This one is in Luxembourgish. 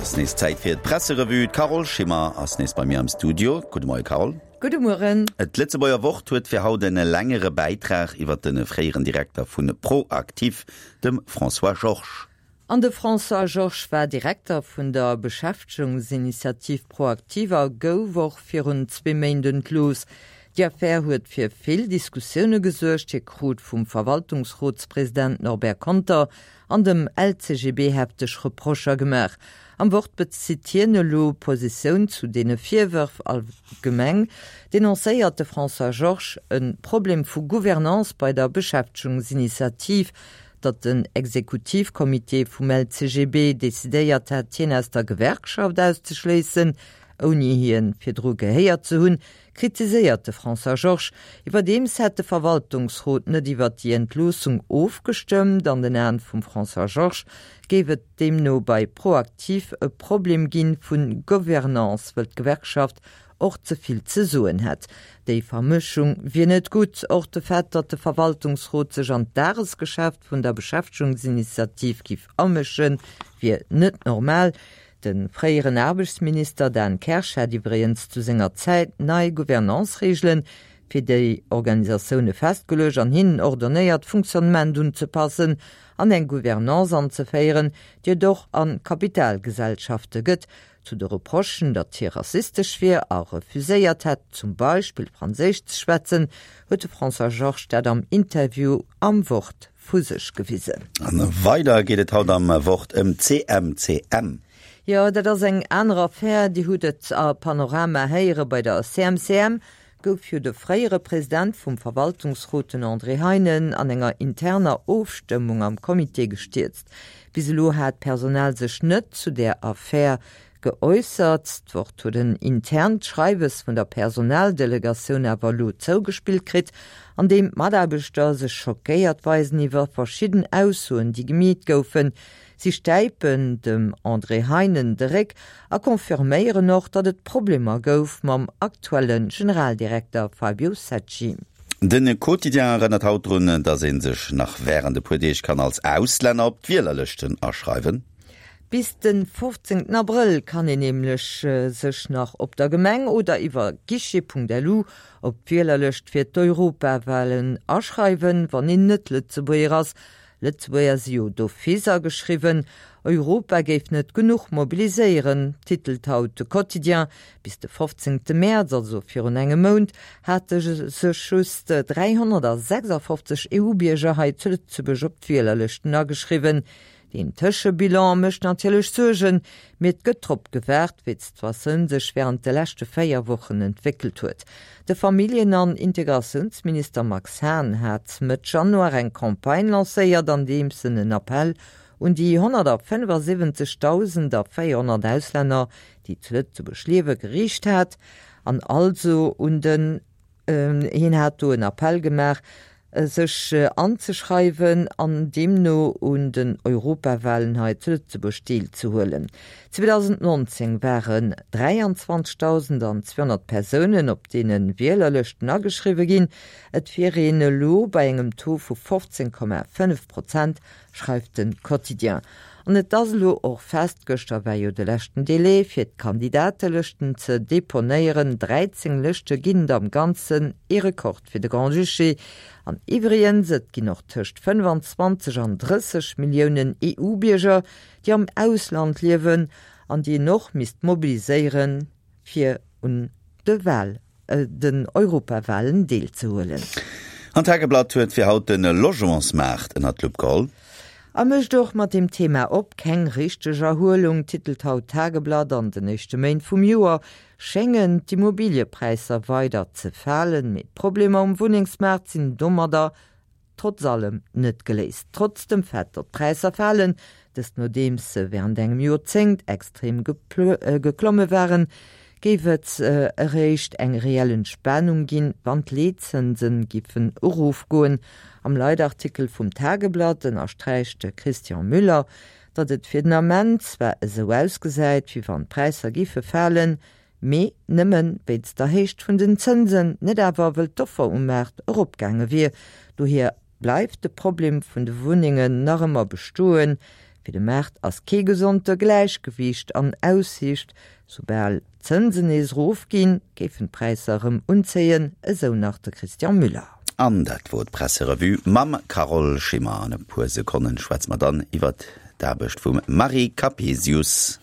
ass nees Zäit fir d'Presserevue. D'Carole Schimmer ass nees bei mir am Studio. Gudde Moie Carole. Gudde Mueren. D'Lëtzebuerger Wort huet fir haut en längere Bäitrag iwwer de fréieren Direkter vu ProActif, dem François Georges. An de François Georges war Direkter vun der Beschäftegungsinitiativ ProActif a gouf och virun zwee Méint entlooss. Déi Affär huet fir vill Diskussioune gesuergt. Hie krut vum Verwaltungsrotspresident Norbert Conter an dem LCGB hefteg Reprocher gemaach. Am Wort bezitt hien elo Positioun zu deene Virwërf. Allgemeng denoncéiert de François Georges e Problem vu Gouvernance bei der Beschäftegungsinitiativ. Datt den Exekutivcomité vum LCGB decidéiert hätt, hien aus der Gewerkschaft auszeschléissen, ouni hien virdru gehéiert ze hunn, kritiséiert de François Georges. Iwwerdeems hätt de Verwaltungsrot net iwwer déi Entloossung ofgestëmmt. An den Aen vum François Georges géif et deemno bei ProActif e Problem ginn vu Gouvernance, wëll d'Gewerkschaft och ze vill ze soen hätt. Déi Vermëschung wier net gutt. Och de Fait, datt de Verwaltungsrot sech an d'Dagesgeschäft vun der Beschäftegungsinitiativ giff amëschen, wier net normal. De fréieren Aarbechtsminister Dan Kersch hätt iwwregens zu senger Zäit nei Gouvernance-Reegele fir déi Organisatioune festgeluecht an hinnen ordonnéiert, d'Fonctionnement unzepassen an eng Gouvernance anzeféieren, déi et och a Kapitalgesellschafte gëtt. Zu de Reprochen, datt hie rassistesch wier a refuséiert hätt, zum Beispill Franséisch ze schwätzen, huet de François Georges dat am Interview am Wort vu sech gewisen. A weider geet et haut am Wort ëm d'CMCM. Jo, dat ass eng aner Affär. Dir hutt et a Panorama héiere, bei der CMCM gouf jo de fréiere President vum Verwaltungsrot, den André Heinen, an enger interner Ofstëmmung am Comité gestierzt. Bis elo hat d'Personal sech net zu där Affär geäussert. D'Wort huet en internt Schreiwes vun der Personaldelegatioun awer elo zougespillt kritt, an deem d'Mataarbechter sech schockéiert weisen iwwer verschidden Aussoen, déi gemeet goufen. Si stäipen dem André Heinen de Réck a confirméieren och, datt et Problemer gouf mam aktuelle Generaldirekter Fabio Secci. De Quotidien erënnert haut drun, datt ee sech nach wärend e puer Deeg kann als Auslänner op d'Wielerlëschten aschreiwen. Bis de 15 Abrëll kann een nämlech sech nach op der Gemeng oder iwwer guichet.lu op d'Wielerlëscht fir d'Europawalen aschreiwen, wann een net Lëtzebuerger ass. Lëtzebuerger si jo d'office ageschriwwen. Europa géif net genuch mobiliséieren, titelt haut de Quotidien. Bis de 15 Mäerz, also virun engem Mount, hate sech just 356 EU-Bierger hei zu Lëtzebuerg op d'Wielerlëschten ageschriwwen. Deen Tëschebilan mécht natierlech Suergen, mee et gëtt drop gewaart, wéi d'Situatioun sech wärend de leschte 4 Wochen entwéckelt huet. De Familljen an Integratiounsminister Max Hahn hat Mëtt Januar eng Campagne lancéiert, andeems en en Appell un déi 175.400 Auslänner, déi zu Lëtzebuerg liewe, geriicht hat an also un den Hien hat do en Appell gemaach, sech anzeschreiwen an deemno un den Europawahlen hei zu Lëtzebuerg deelzehuelen. 2019 waren 23.200 Persounen op deene Wielerlëschten ageschriwwe ginn. Et wier een elo bei engem Taux vu 15,5 Prozent schreift de Quotidien. An et ass elo och fest, gëschter war jo de leschten Délai fir d'Kandidatelëschten ze deponéieren, 13 Lëschte ginn et am Ganzen, ee Rekord fir de Grand-Duché. An iwwregens, et ginn och tëscht 25 an 30 Milliounen EU-Bierger, déi am Ausland liewen an déi een och misst mobiliséieren, fir un de Wahl den Europawahlen deelzehuelen. An d'Tageblatt huet fir haut de Logementsmaart ënnert d'Lupp geholl. A mécht och mat deem Thema op. Keng richteg Erhuelung, titelt haut d'Tageblatt. An den éischte Méint vum Joer schéngen d'Immobiliëpräisser weider ze falen, mee d'Problemer um Wunnengsmaart sinn domadder trotz allem net geléist. Trotz dem Fait, datt d'Präisser falen, dëst nodeems se wärend engem Joerzéngt extrem geklomme waren, géif et eréischt eng reell Entspanung ginn, wann d'Leetzënse giffen erofgoen. Am Leitartikel vum Tageblatt ënnersträicht de Christian Müller, datt et fir den Ament zwar esou ausgesäit, wéi wann d'Präisser giffe falen, Mee nëmme wéinst der Héicht vun den Zënsen, net awer wëll d'Offer um Maart eropgaange wier. Dohier bleift de Problem vun de Wunnengen nach ëmmer bestoen. Fir de Maart ass kee gesonte Gläichgewiicht an Aussiicht. Soubal d'Zënsen nees erofginn, géifen d'Präisser erëm unzéien, esou nach de Christian Müller. An dat wor d'Presserevue mam Carole Schimmer. An e puer Sekonnen schwätze mer dann iwwert d'Aarbecht vum Marie Capesius.